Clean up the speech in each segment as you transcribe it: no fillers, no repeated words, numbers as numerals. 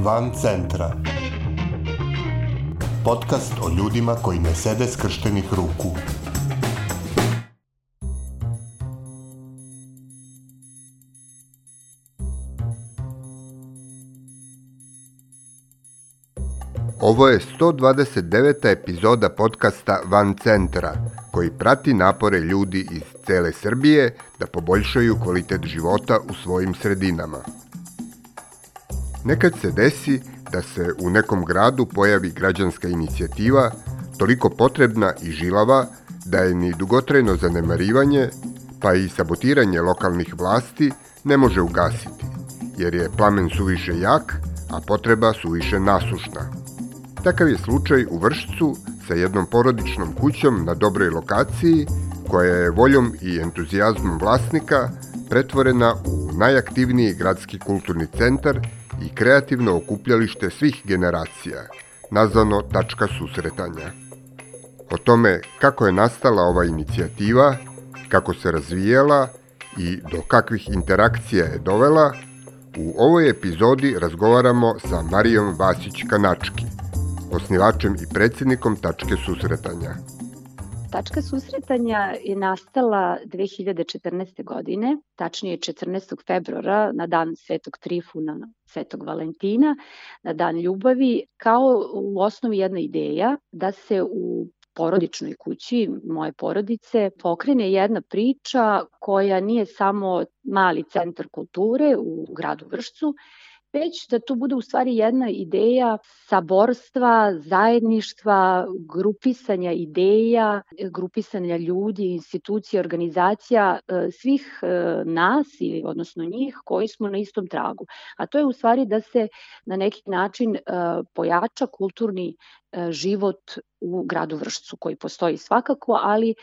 Van centra. Podcast o ljudima koji ne sede skrštenih ruku. Ovo je 129. epizoda podcasta Van centra, koji prati napore ljudi iz cele Srbije da poboljšaju kvalitet života u svojim sredinama. Nekad se desi da se u nekom gradu pojavi građanska inicijativa toliko potrebna i žilava da je ni dugotrajno zanemarivanje, pa i sabotiranje lokalnih vlasti ne može ugasiti, jer je plamen suviše jak, a potreba suviše nasušna. Takav je slučaj u Vršcu sa jednom porodičnom kućom na dobroj lokaciji, koja je voljom i entuzijazmom vlasnika pretvorena u najaktivniji gradski kulturni centar i kreativno okupljalište svih generacija, nazvano Tačka susretanja. O tome kako je nastala ova inicijativa, kako se razvijala i do kakvih interakcija je dovela, u ovoj epizodi razgovaramo sa Marijom Vasić-Kanački, osnivačem i predsjednikom Tačke susretanja. Tačka susretanja je nastala 2014. godine, tačnije 14. februara na dan Svetog Trifuna, Svetog Valentina, na dan ljubavi, kao u osnovi jedna ideja da se u porodičnoj kući moje porodice pokrene jedna priča koja nije samo mali centar kulture u gradu Vršcu, već da to bude u stvari jedna ideja saborstva, zajedništva, grupisanja ideja, grupisanja ljudi, institucija, organizacija, svih nas, odnosno njih, koji smo na istom tragu. A to je u stvari da se na neki način pojača kulturni život u gradu Vršcu, koji postoji svakako, ali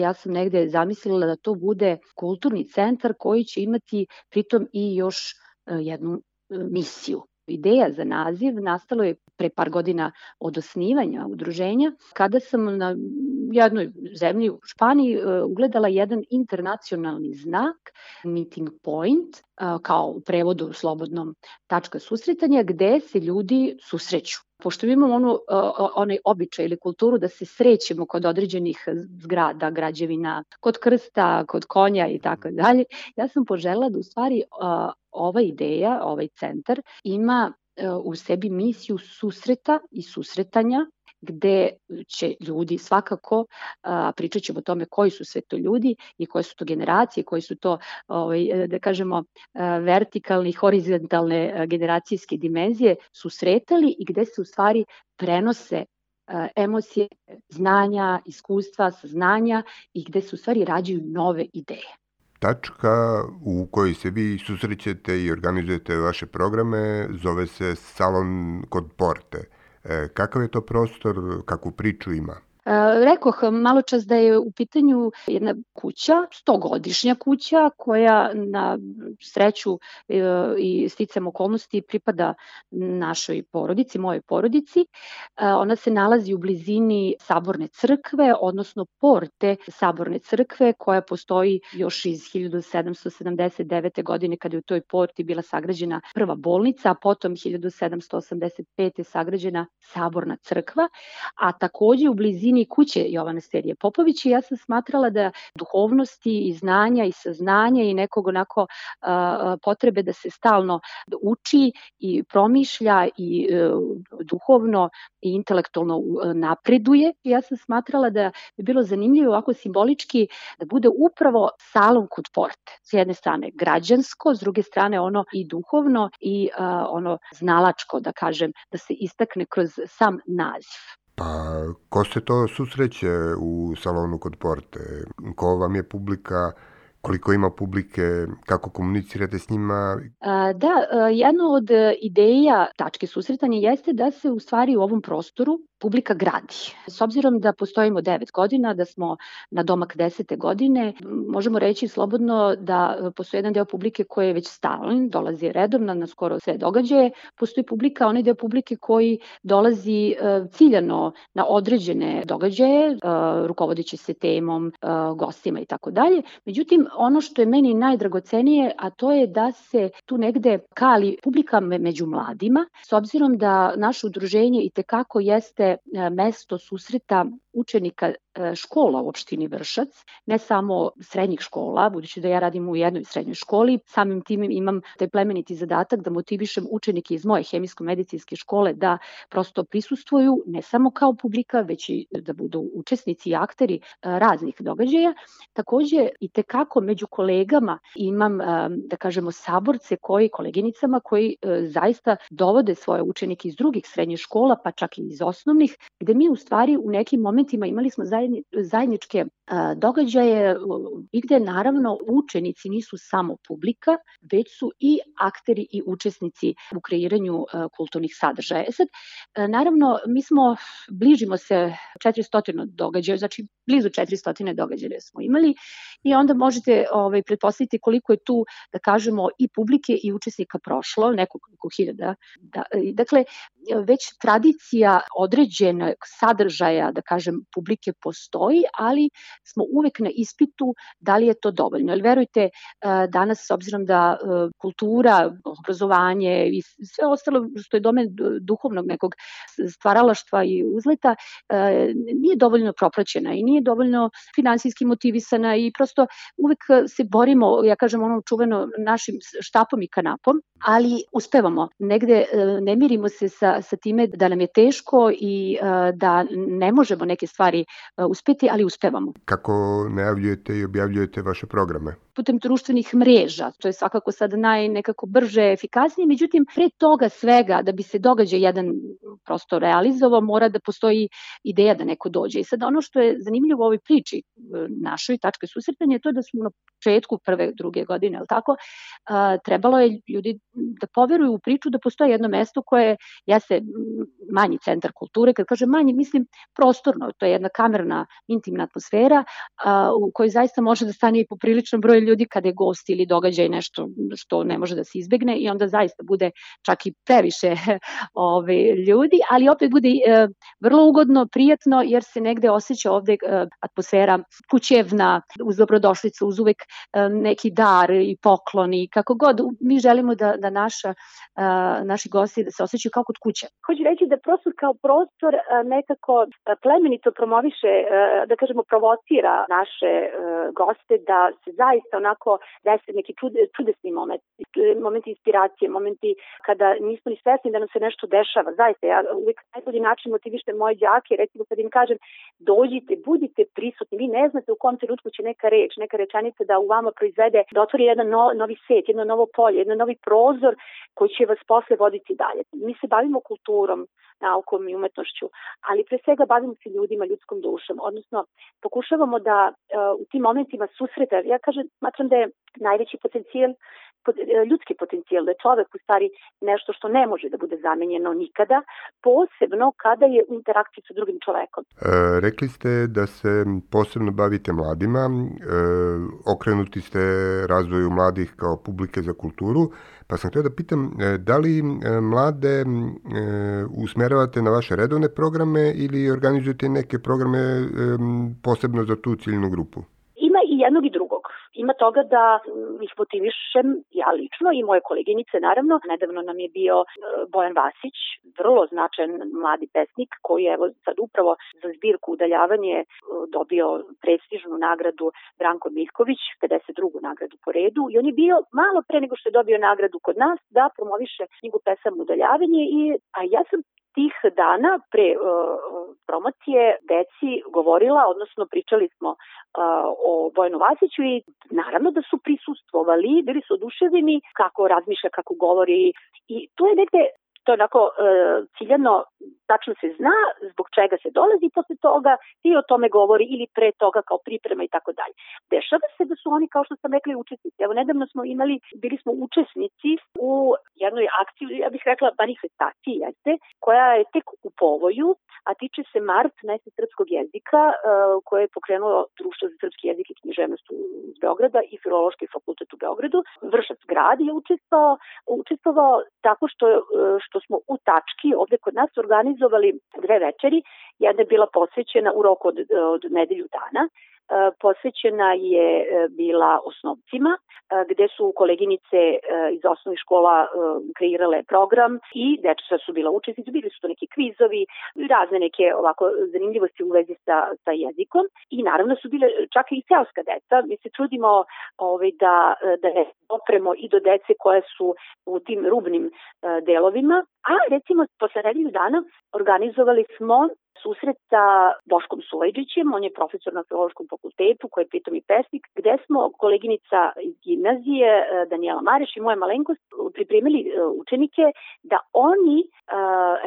ja sam negde zamislila da to bude kulturni centar koji će imati pritom i još jednu misiju. Ideja za naziv nastalo je pre par godina od osnivanja udruženja, kada sam na jednoj zemlji u Španiji ugledala jedan internacionalni znak, meeting point, kao u prevodu slobodnom tačka susretanja, gde se ljudi susreću. Pošto imamo onaj običaj ili kulturu da se srećemo kod određenih zgrada, građevina, kod krsta, kod konja i tako dalje, ja sam poželjela da u stvari ova ideja, ovaj centar ima u sebi misiju susreta i susretanja, gde će ljudi svakako, pričat ćemo o tome koji su sve to ljudi i koje su to generacije, koji su to, da kažemo, vertikalne i horizontalne generacijske dimenzije susretali i gde se u stvari prenose emocije, znanja, iskustva, saznanja i gde se u stvari rađaju nove ideje. Tačka u kojoj se vi susrećete i organizujete vaše programe zove se Salon kod Porte. Kakav je to prostor, kakvu priču ima? Rekoh malo čas da je u pitanju jedna kuća, 100-godišnja kuća koja na sreću i sticam okolnosti pripada našoj porodici, mojoj porodici. Ona se nalazi u blizini Saborne crkve, odnosno porte Saborne crkve, koja postoji još iz 1779. godine kada je u toj porti bila sagrađena prva bolnica, a potom 1785. je sagrađena Saborna crkva, a takođe u blizini kuće Jovana Sterije Popović i ja sam smatrala da duhovnosti i znanja i saznanja i nekog onako potrebe da se stalno uči i promišlja i duhovno i intelektualno napreduje. Ja sam smatrala da je bilo zanimljivo ovako simbolički da bude upravo salon kod porte. S jedne strane građansko, s druge strane ono i duhovno i ono znalačko, da kažem, da se istakne kroz sam naziv. Pa, ko se to susreće u salonu kod porte? Ko vam je publika? Koliko ima publike? Kako komunicirate s njima? Da, jedna od ideja Tačke susretanja jeste da se u stvari u ovom prostoru publika gradi. S obzirom da postojimo 9 godina, da smo na domak 10. godine, možemo reći slobodno da postoji jedan deo publike koji je već stalan, dolazi redovno na skoro sve događaje. Postoji publika, onaj deo publike koji dolazi ciljano na određene događaje, rukovodeći se temom, gostima i tako dalje. Međutim, ono što je meni najdragocenije, a to je da se tu negde kali publika među mladima, s obzirom da naše udruženje i tekako jeste mesto susreta učenika škola u opštini Vršac, ne samo srednjih škola, budući da ja radim u jednoj srednjoj školi, samim tim imam taj plemeniti zadatak da motivišem učenike iz moje hemijsko-medicinske škole da prosto prisustvuju ne samo kao publika, već i da budu učesnici i akteri raznih događaja. Takođe i tekako među kolegama imam, da kažemo, saborce koleginicama koji zaista dovode svoje učenike iz drugih srednjih škola, pa čak i iz osnovnih, gde mi u stvari u nekim momentima imali smo zajedničke događaje i gde naravno učenici nisu samo publika, već su i akteri i učesnici u kreiranju kulturnih sadržaja. Sad, naravno, bližimo se 400 događaja, znači blizu 400 događaja smo imali i onda možete pretpostaviti koliko je tu, da kažemo, i publike i učesnika prošlo, nekoliko hiljada. Dakle, već tradicija određenog sadržaja, da kažem, publike postoji, ali smo uvek na ispitu da li je to dovoljno. Jer verujte, danas, s obzirom da kultura, obrazovanje i sve ostalo što je domen duhovnog nekog stvaralaštva i uzleta, nije dovoljno propraćena i nije dovoljno finansijski motivisana i prosto uvek se borimo, ja kažem ono čuveno, našim štapom i kanapom, ali uspevamo. Negde ne mirimo se sa time da nam je teško i da ne možemo neke stvari uspeti, ali uspevamo. Kako najavljujete i objavljujete vaše programe? Putem društvenih mreža, to je svakako sad nekako brže, efikasnije, međutim, pre toga svega, da bi se događaj jedan prosto realizovao, mora da postoji ideja da neko dođe. I sad ono što je zanimljivo u ovoj priči našoj, tačke susretanja, je to da smo na početku prve, druge godine, ali tako, trebalo je ljudi da poveruju u priču da postoji jedno mesto koje jeste manji centar kulture. Kad kažem manji, mislim prostorno, to je jedna kamerna, intimna atmosfera u kojoj zaista može da stane i popriličan broj ljudi kada je gost ili događaj nešto što ne može da se izbegne i onda zaista bude čak i previše ljudi, ali opet bude vrlo ugodno, prijatno, jer se negde osjeća ovde atmosfera kućevna, uz dobrodošlicu, uz uvek neki dar i poklon i kako god. Mi želimo da naši gosti da se osjećaju kao kod kuće. Hoću reći da prostor kao prostor nekako plemenito promoviše, da kažemo, provocira naše goste da se zaista onako desi neki čudesni momenti inspiracije, momenti kada nismo ni svesni da nam se nešto dešava. Zaista, ja uvijek najbolji način motivišem moje đake, recimo kad im kažem dođite, budite prisutni, vi ne znate u kom trenutku će neka reč, neka rečenica da u vama proizvede, da otvori jedan novi svet, jedno novo polje, jedan novi prozor koji će vas posle voditi dalje. Mi se bavimo kulturom, naukom i umetnošću, ali pre svega bavimo se ljudima, ljudskom dušom, odnosno pokušavamo da u tim momentima susreta, ja smatram da je najveći potencijal, ljudski potencijal, da je čovek u stvari nešto što ne može da bude zamenjeno nikada, posebno kada je u interakciji sa drugim čovekom. Rekli ste da se posebno bavite mladima, okrenuti ste razvoju mladih kao publike za kulturu, pa sam htio da pitam da li mlade usmeravate na vaše redovne programe ili organizujete neke programe posebno za tu ciljnu grupu? Ima i jednog i drugog. Ima toga da ih motivišem ja lično i moje koleginice, naravno. Nedavno nam je bio Bojan Vasić, vrlo značajan mladi pesnik koji je sad upravo za zbirku Udaljavanje dobio prestižnu nagradu Branko Miljković, 52. nagradu po redu, i on je bio malo pre nego što je dobio nagradu kod nas da promoviše knjigu pesama Udaljavanje, a ja sam tih dana pre promocije deci govorila, odnosno pričali smo o Bojanu Vasiću i naravno da su prisustvovali, bili su oduševljeni kako razmišlja, kako govori, i to je negde to je onako ciljano, tačno se zna zbog čega se dolazi posle toga i o tome govori ili pre toga kao priprema i tako dalje. Dešava se da su oni, kao što sam rekla, učesnici. Evo, nedavno smo bili smo učesnici u jednoj akciji, ja bih rekla manifestaciji, koja je tek u povoju, a tiče se Mart, mesec srpskog jezika, koje je pokrenulo Društvo za srpski jezik i književnost iz Beograda i Filološki fakultet u Beogradu. Vršac grad je učestvovao tako što smo u tački ovde kod nas organizovali 2 večeri. Jedna je bila posvećena u roku od nedelju dana. Posvećena je bila osnovcima, gde su koleginice iz osnovnih škola kreirale program i deca su bila učesnici, bili su to neki kvizovi, razne neke ovako zanimljivosti u vezi sa jezikom i naravno su bile čak i seoska deca. Mi se trudimo da ne dopremo i do dece koje su u tim rubnim delovima, a recimo posle nedelju dana organizovali smo susret sa Boškom Sulejđićem, on je profesor na Filološkom fakultetu, koji je pritom i pesnik, gde smo koleginica iz gimnazije, Danijela Mareš i moja malenkost, pripremili učenike da oni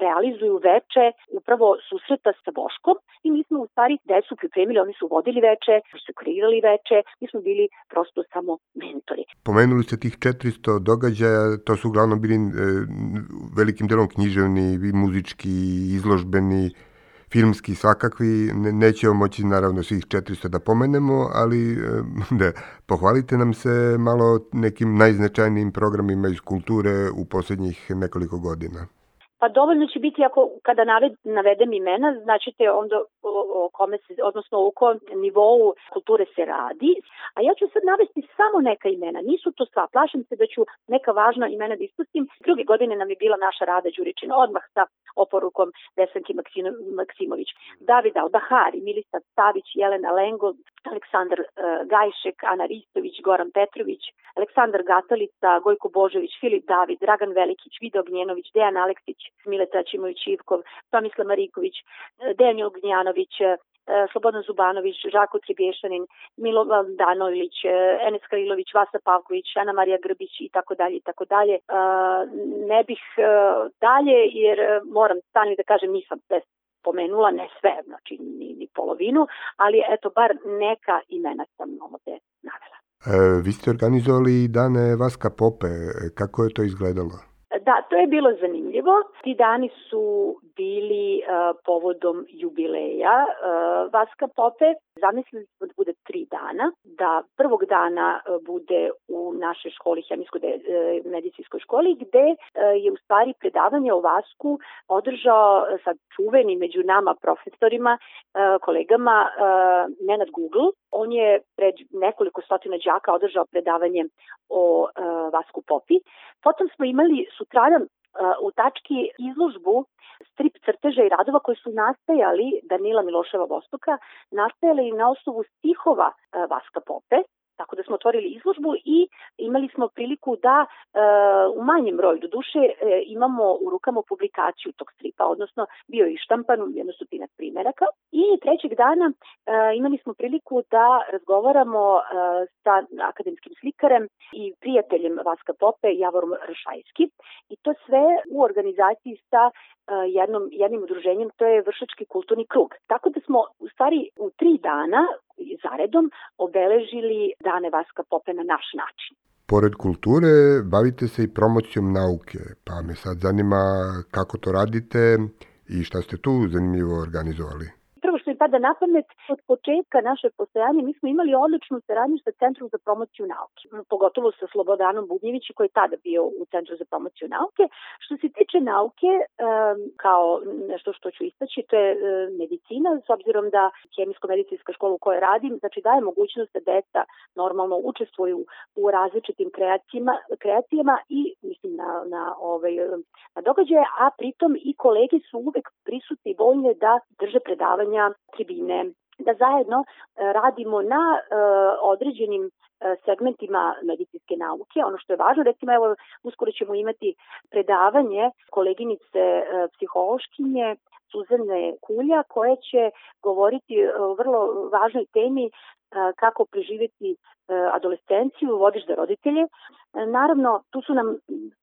realizuju veče upravo susreta sa Boškom i mi smo u stvari decu pripremili, oni su vodili veče, oni su kreirali veče, mi smo bili prosto samo mentori. Pomenuli ste tih 400 događaja, to su uglavnom bili velikim delom književni, muzički, izložbeni, filmski, svakakvi. Nećemo moći naravno svih 400 da pomenemo, ali pohvalite nam se malo nekim najznačajnijim programima iz kulture u posljednjih nekoliko godina. Pa dovoljno će biti kada navedem imena, značite onda o kome se, odnosno o kom nivou kulture se radi. A ja ću sad navesti samo neka imena, nisu to sva, plašim se da ću neka važna imena da ispustim. Druge godine nam je bila naša Rada Đuričina, odmah sa oporukom Desanki Maksimović, David Albahari, Milisav Savić, Jelena Lengo, Aleksandar Gajšek, Ana Ristović, Goran Petrović, Aleksandar Gatalica, Gojko Božović, Filip David, Dragan Velikić, Vida Ognjenović, Dejan Aleksić, Mileta Ćimović-Ivkov, Tomislav Mariković, Dejan Ognjanović, Slobodan Zubanović, Žako Tribješanin, Milovan Danović, Enes Halilović, Vasa Pavković, Ana Marija Grbić i tako dalje i tako dalje. Ne bih dalje jer moram stani da kažem nisam sve pomenula, ne sve, znači ni polovinu, ali eto bar neka imena sam ovde navela. Vi ste organizovali dane Vaska Pope, kako je to izgledalo? Da, to je bilo zanimljivo. Ti dani su bili povodom jubileja Vaska Pope. Zamislili smo da bude 3 dana, da prvog dana bude u našoj školi, hemijsko-medicinskoj školi, gde je u stvari predavanje o Vasku održao sad čuveni među nama profesorima, kolegama Nenad Google. On je pred nekoliko stotina đaka održao predavanje o Vasku Popi. Potom smo imali sutradan u tački izložbu strip crteža i radova koji su nastajali Danila Miloševa Vostoka, nastajali na osnovu stihova Vaska Pope, tako da smo otvorili izložbu i imali smo priliku da u manjem broju, do duše, imamo u rukama publikaciju tog stripa, odnosno bio je štampan 100 primeraka. I trećeg dana imali smo priliku da razgovaramo sa akademskim slikarem i prijateljem Vaska Pope, Javorom Rašajski, i to sve u organizaciji sa jednim udruženjem, to je Vršački kulturni krug. Tako da smo u stvari u 3 dana zaredom obeležili dane Vaska Pope na naš način. Pored kulture, bavite se i promocijom nauke, pa me sad zanima kako to radite i šta ste tu zanimljivo organizovali. Prvo što mi pada na pamet, od početka naše postojanje mi smo imali odličnu saradnju sa Centrom za promociju nauke, pogotovo sa Slobodanom Bubnjevićem koji je tada bio u Centru za promociju nauke. Što se tiče nauke, kao nešto što ću istaći, to je medicina, s obzirom da hemijsko-medicinska škola u kojoj radim, znači daje mogućnost da deca normalno učestvuju u različitim kreacijama i mislim na događaje, a pritom i kolege su uvek prisutni i voljne da drže predavanja, tribine, da zajedno radimo na određenim segmentima medicinske nauke. Ono što je važno, recimo, evo, uskoro ćemo imati predavanje koleginice psihološkinje Suzane Kulja, koja će govoriti o vrlo važnoj temi kako preživjeti adolescenciju, vodič za roditelje. Naravno, tu su nam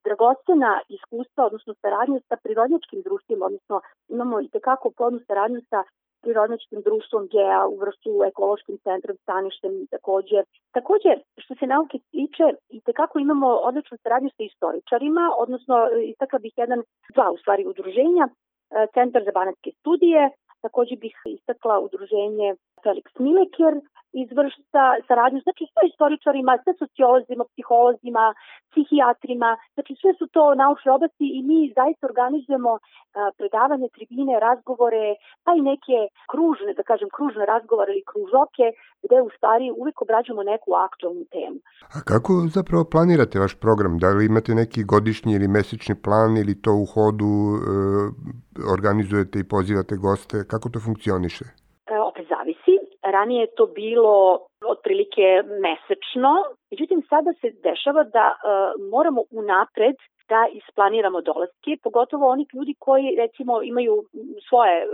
dragocena iskustva, odnosno saradnja sa prirodnjačkim društvima, odnosno imamo i tekako plodnu saradnju sa prirodnjačkim društvom GEA u Vršcu, ekološkim centrom, staništem takođe. Takođe, što se nauke tiče, i tekako imamo odličnu saradnju sa istoričarima, odnosno istakla bih dva udruženja, Centar za banatske studije, takođe bih istakla udruženje Felix Mileker iz Vršca, saradnju, znači sa istoričarima, sa sociolozima, psiholozima, psihijatrima, znači sve su to naučne oblasti i mi zaista organizujemo predavanje, tribine, razgovore, pa i neke kružne razgovore ili kružoke, gde u stvari uvek obrađujemo neku aktualnu temu. A kako zapravo planirate vaš program? Da li imate neki godišnji ili mesečni plan ili to u hodu organizujete i pozivate goste? Kako to funkcioniše? Opet zavisi. Ranije je to bilo otprilike mesečno, međutim sada se dešava da moramo unapred da isplaniramo dolaske, pogotovo oni ljudi koji recimo imaju svoje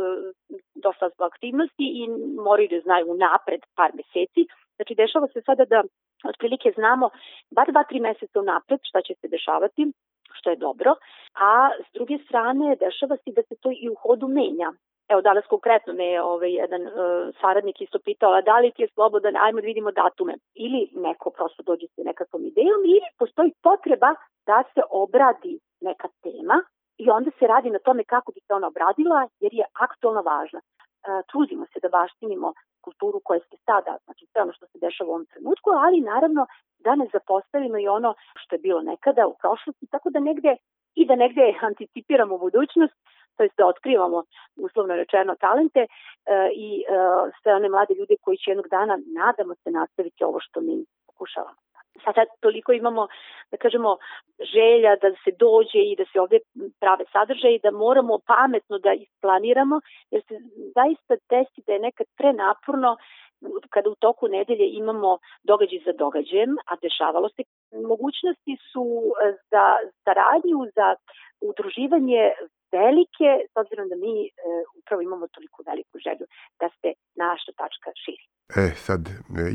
dosta aktivnosti i moraju da znaju unapred par meseci. Znači dešava se sada da otprilike znamo bar 2-3 meseca unapred šta će se dešavati, što je dobro, a s druge strane dešava se da se to i u hodu menja. Evo, danas konkretno me je jedan saradnik isto pitao, da li ti je slobodan, ajmo da vidimo datume. Ili neko prosto dođe sa nekakvom idejom, ili postoji potreba da se obradi neka tema i onda se radi na tome kako bi se ona obradila, jer je aktualno važna. Trudimo se da baštinimo kulturu koja se sada, znači sve ono što se dešava u ovom trenutku, ali naravno da ne zapostavimo i ono što je bilo nekada u prošlosti, tako da negde anticipiramo budućnost, to jest da otkrivamo, uslovno rečeno, talente i sve one mlade ljude koji će jednog dana, nadamo se, nastaviti ovo što mi pokušavamo. Sada toliko imamo, da kažemo, želja da se dođe i da se ovde prave sadržaje i da moramo pametno da isplaniramo, jer se zaista desi da je nekad prenaporno kada u toku nedelje imamo događaj za događajem, a dešavalo se. Mogućnosti su za saradnju, za udruživanje velike, s obzirom da mi upravo imamo toliko veliku želju da se naša tačka širi. Sad,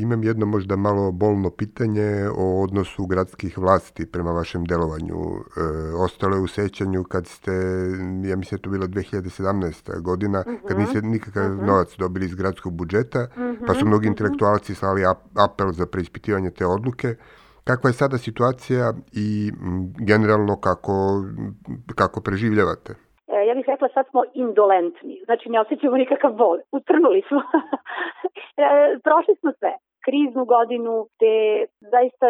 imam jedno možda malo bolno pitanje o odnosu gradskih vlasti prema vašem delovanju. Ostalo je u sećanju kad ste, ja mislim da to bila 2017. godina, kad niste nikakav novac dobili iz gradskog budžeta, pa su mnogi intelektualci slali apel za preispitivanje te odluke. Kakva je sada situacija i generalno kako preživljavate? Ja bih rekla sad smo indolentni, znači ne osjećamo nikakav bol, utrnuli smo. Prošli smo sve, kriznu godinu, gde zaista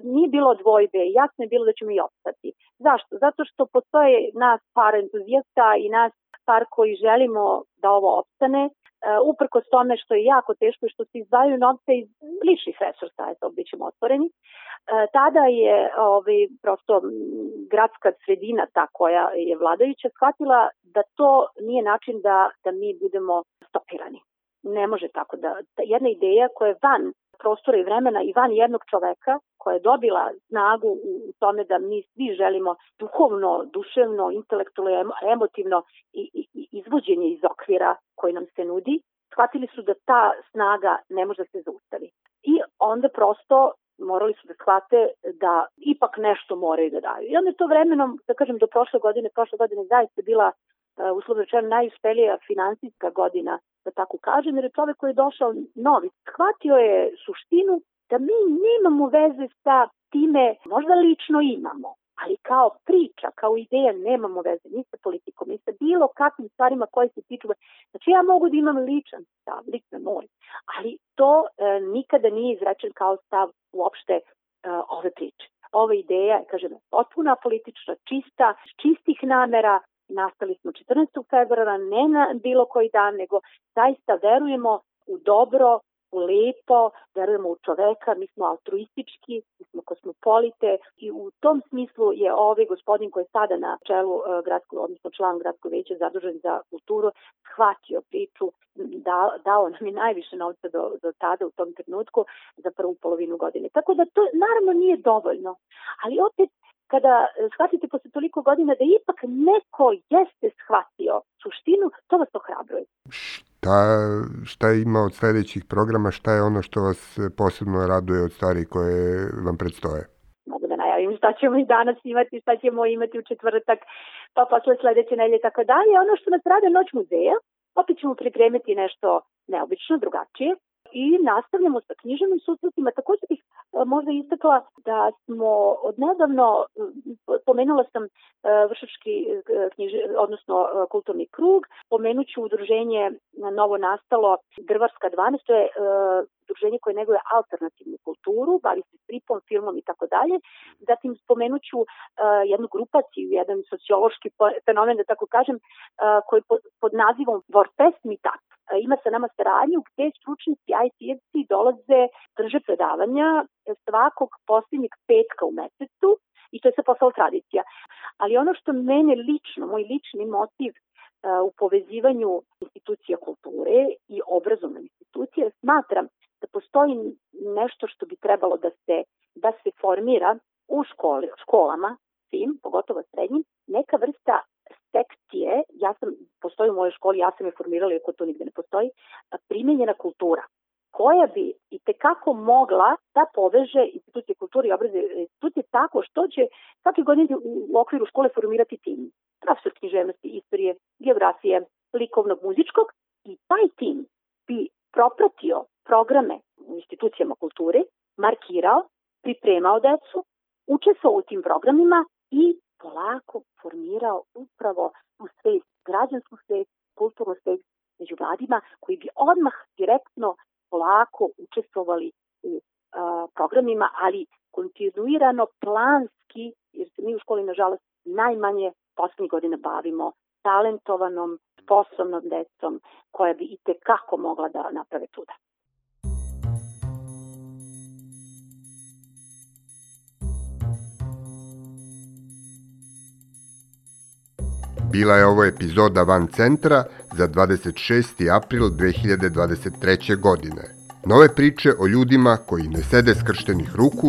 nije bilo dvojbe, jasno je bilo da ćemo i opstati. Zašto? Zato što postoje nas par entuzijasta i nas par koji želimo da ovo opstane, uprkos tome što je jako teško i što se izdvajaju novce iz ličnih resursa, bit ćemo otvoreni. Tada je prosto gradska sredina, ta koja je vladajuća, shvatila da to nije način da mi budemo stopirani. Ne može tako da jedna ideja koja je van prostora i vremena i van jednog čoveka, koja je dobila snagu u tome da mi svi želimo duhovno, duševno, intelektualno, emotivno i izvođenje iz okvira koji nam se nudi, shvatili su da ta snaga ne može da se zaustavi. I onda prosto morali su da shvate da ipak nešto moraju da daju. I onda je to vremenom, da kažem, do prošle godine zaista bila uslovno rečeno najuspelija finansijska godina, da tako kažem, jer je čovek koji je došao novi, shvatio je suštinu da mi nemamo veze sa time, možda lično imamo, ali kao priča, kao ideja nemamo veze ni sa politikom, ni sa bilo kakvim stvarima koje se tiču. Znači ja mogu da imam ličan stav, lično moj, ali to nikada nije izrečen kao stav uopšte ove priče. Ova ideja je, kažem, potpuna politična, čista, čistih namera. Nastali smo 14. februara, ne na bilo koji dan, nego zaista verujemo u dobro, u lepo, verujemo u čoveka, mi smo altruistički, mi smo kosmopolite i u tom smislu je ovaj gospodin koji je sada na čelu odnosno član gradskog veća zadužen za kulturu, shvatio priču, dao nam je najviše novca do tada u tom trenutku za prvu polovinu godine. Tako da to naravno nije dovoljno, ali opet kada shvatite posle toliko godina da ipak neko jeste shvatio suštinu, to vas ohrabruje. Šta ima od sledećih programa, šta je ono što vas posebno raduje od stvari koje vam predstoje? Mogu da najavim im šta ćemo i danas imati, šta ćemo imati u četvrtak, pa posle sledeće nedelje i tako dalje. Ono što nas rade Noć muzeja, opet ćemo pripremiti nešto neobično, drugačije. I nastavljamo sa književnim susretima. Također bih možda istakla da smo odnedavno, pomenula sam Vršački odnosno kulturni krug, pomenuću udruženje novo nastalo Drvarska 12, to je udruženje koje neguje alternativnu kulturu, bavi se stripom, filmom i tako dalje. Zatim spomenuću jednu grupaciju, jedan sociološki fenomen, da tako kažem, koji pod nazivom Vorfest Meetup. Ima sa nama saradnju gde stručnici IT-evci dolaze, drže predavanja svakog posljednjeg petka u mesecu i to je sad postala tradicija. Ali ono što mene lično, moj lični motiv u povezivanju institucija kulture i obrazovne institucije, smatram da postoji nešto što bi trebalo da se formira u školama, svim, pogotovo srednjim, neka vrsta sekcije, postoji u mojoj školi, ja sam je formirala, iako to nigde ne postoji, primenjena kultura, koja bi i tekako mogla da poveže institucije kulture i obrazovne institucije tako što će svake godine u okviru škole formirati tim. Profesor književnosti, istorije, geografije, likovnog, muzičkog, i taj tim bi propratio programe u institucijama kulture, markirao, pripremao decu, učestvovao u tim programima i polako formirao upravo tu svest, građansku svest, kulturnu svest među mladima, koji bi odmah direktno polako učestvovali u programima, ali kontinuirano, planski, jer se mi u školi, nažalost, najmanje poslednjih godina bavimo talentovanom, sposobnom decom, koja bi i tekako mogla da naprave čuda. Bila je ovo epizoda Van centra za 26. april 2023. godine. Nove priče o ljudima koji ne sede skrštenih ruku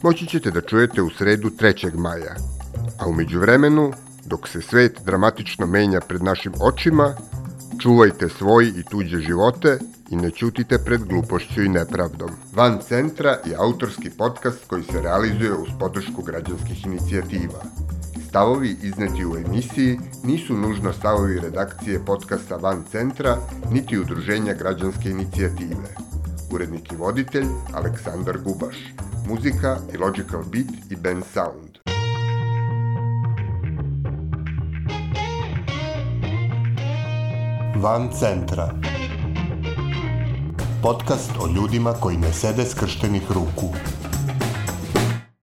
moći ćete da čujete u sredu 3. maja. A u međuvremenu, dok se svet dramatično menja pred našim očima, čuvajte svoje i tuđe živote i ne ćutite pred glupošću i nepravdom. Van centra je autorski podcast koji se realizuje uz podršku građanskih inicijativa. Stavovi izneti u emisiji nisu nužno stavovi redakcije podcasta Van centra, niti udruženja građanske inicijative. Urednik i voditelj Aleksandar Gubaš. Muzika i Logical Beat i Ben Sound. Van centra. Podcast o ljudima koji ne sede skrštenih ruku.